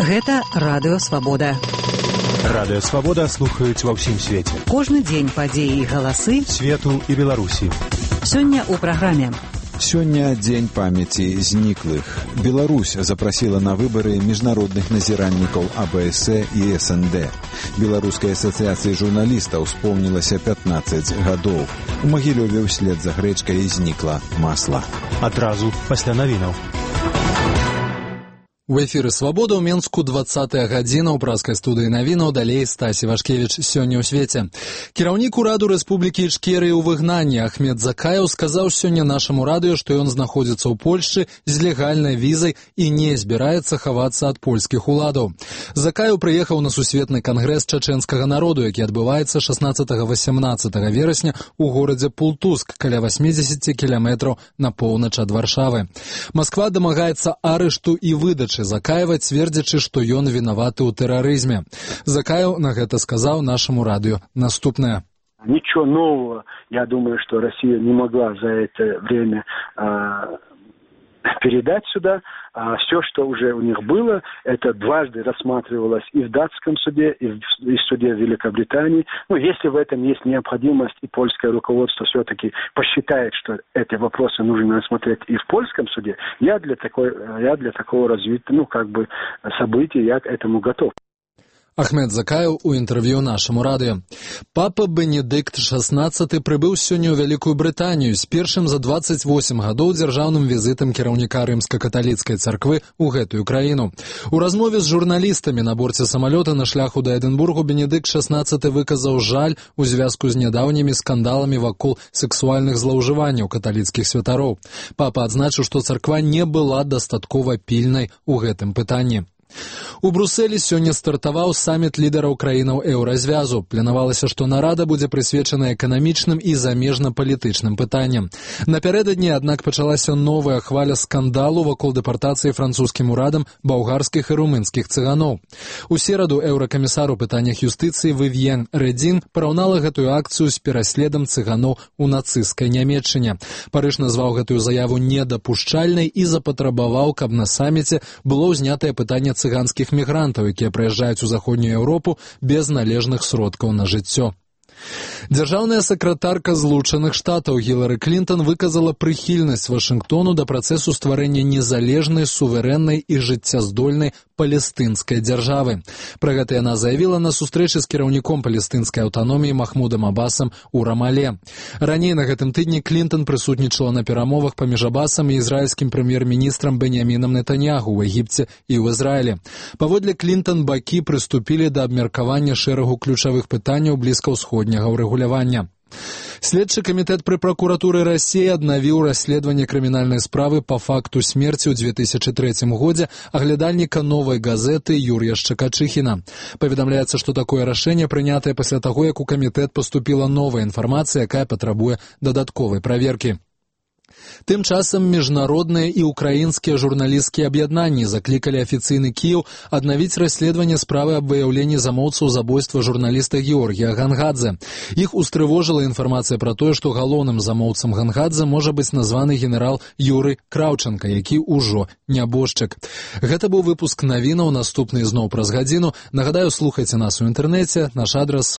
Гэта Радыё Свабода. Радыё Свабода слухаюць ва ўсім свеце. Кожны дзень падзеі і галасы свету і Беларусі. Сёння ў праграме. Сёння дзень памяці зніклых. Беларусь запрасіла на выбары міжнародных назіральнікаў АБС і СНД. Беларускай асацыяцыі журналістаў споўнілася 15 гадоў. У Магілёве ўслед за грэчкай знікла масла. Адразу пасля навінаў. У эфіры «Свабода» ў Менску 20-я гадзіна ў праскай студыі навінаў, далей Стась Івашкевіч сёння ў свеце. Кіраўнік ураду Рэспублікі Ічкерыя ў выгнанні Ахмед Закаеў сказаў сёння нашаму радыё, што ён знаходзіцца ў Польшчы з легальнай візай і не збіраецца хавацца ад польскіх уладаў. Закаеў прыехаў на сусветны кангрэс чачэнскага народу, які адбываецца 16-18 верасня ў горадзе Пултуск, каля 80 кіламетраў на поўнач ад Варшавы. Масква дамагаецца арышту і выдачы Закаева, цвердзячы, што ён вінаваты ў тэрарызме. Закаев на гэта сказаў нашаму радыё наступнае. Ничего нового, я думаю, что Россия не могла за это время передать сюда. Все, что уже у них было, это дважды рассматривалось и в датском суде, и в суде Великобритании. Ну, если в этом есть необходимость, и польское руководство все-таки посчитает, что эти вопросы нужно рассмотреть и в польском суде, я для такого развития, событий, я к этому готов. Ахмед Закаев у інтэрв'ю нашаму радыё. Папа Бенедыкт XVI прыбыў сёння ў Вялікую Брытанію з першым за 28 гадоў дзяржаўным візітам кіраўніка рымска-каталіцкай царквы ў гэтую краіну. У размове з журналістамі на борце самалёта на шляху да Эдынбургу Бенедыкт XVI выказаў жаль у звязку з нядаўнімі скандаламі вакол сексуальных злоўжыванняў каталіцкіх святароў. Папа адзначыў, што царква не была дастаткова пільнай у гэтым пытанні. У Брусэлі сёння стартаваў саміт лідараў краінаў еўразвязу. Планавалася, што нарада будзе прысвечана эканамічным і замежна-палітычным пытанням. Напярэдадні, аднак, пачалася новая хваля скандалу вакол дэпартацыі французскім урадам балгарскіх і румынскіх цыганоў. У сераду еўракамісар у пытаннях юстыцыі Вівьен Рэдзін параўнала гэтую акцыю з пераследам цыганоў у нацысцкай Нямецчыне. Парыж назваў гэтую заяву недапушчальнай і запатрабаваў, каб на саміце было ўзнятае пытанне цыганскіх мігрантаў, якія прыязджаюць у заходнюю Еўропу без належных сродкаў на жыццё. Дзяржаўная сакратарка Злучаных Штатаў Гілары Клінтон выказала прыхільнасць Вашынгтону да працэсу стварэння незалежнай, суверэннай і жыццяздольнай палестынскай дзяржавы. Пра гэта яна заявіла на сустрэчы з кіраўніком палестынскай аўтаноміі Махмудам Абасам у Рамале. Раней на гэтым тыдні Клінтон прысутнічала на перамовах паміж Абасам і ізраільскім прэм'ер-міністрам Беньямінам Нетаньяху ў Егіпце і ў Ізраілі. Паводле Клінтон бакі прыступілі да абмеркавання шэрагу ключавых пытанняў блізкаўсходняга ўрэгулявання. Следчы камітэт пры пракуратуры Расіі аднавіў расследаванне крымінальнай справы па факту смерці ў 2003 годзе аглядальніка «Новай газеты» Юрія Шчакачыхіна. Паведамляецца, што такое рашэнне прынятае пасля таго, як у камітэт паступіла новая інфармацыя, якая патрабуе дадатковай праверкі. Тым часам міжнародныя і ўкраінскія журналісцкія аб'яднанні заклікалі афіцыйны Кіеў аднавіць расследаванне справы аб выяўленні замоўцаў забойства журналіста Георгія Гангадзе. Іх устрывожыла інфармацыя пра тое, што галоўным замоўцам Гангадзе можа быць названы генерал Юрый Краўчанка, які ўжо нябожчык. Гэта быў выпуск навінаў, наступны зноў праз гадзіну. Нагадаю, слухайце нас у інтэрнэце, наш адрас